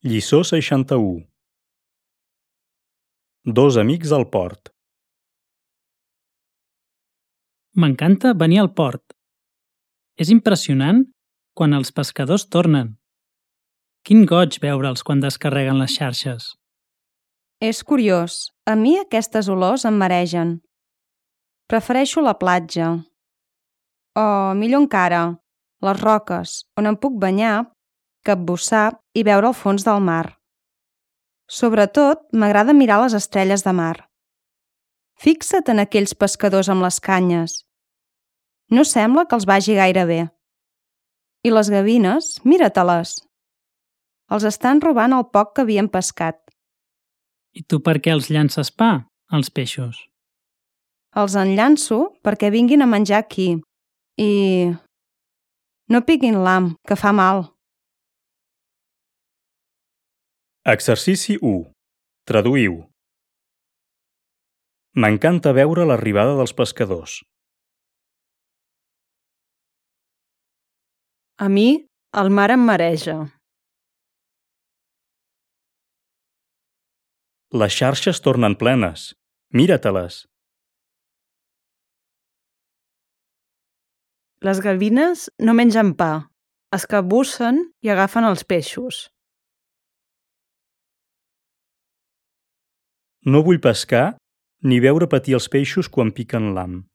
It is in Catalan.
Lliçó 61. Dos amics al port. M'encanta venir al port. És impressionant quan els pescadors tornen. Quin goig veure'ls quan descarreguen les xarxes. És curiós, a mi aquestes olors em maregen. Prefereixo la platja. O, millor encara, les roques, on em puc banyar, capbussar i veure el fons del mar. Sobretot, m'agrada mirar les estrelles de mar. Fixa't en aquells pescadors amb les canyes. No sembla que els vagi gaire bé. I les gavines, mira-te-les. Els estan robant el poc que havien pescat. I tu per què els llances pa, als peixos? Els enllanço perquè vinguin a menjar aquí. I... no piquin l'ham, que fa mal. Exercici 1. Traduïu. M'encanta veure l'arribada dels pescadors. A mi, el mar em mareja. Les xarxes tornen plenes. Mira-te-les. Les gavines no mengen pa, es capbussen i agafen els peixos. No vull pescar ni veure patir els peixos quan piquen l'ham.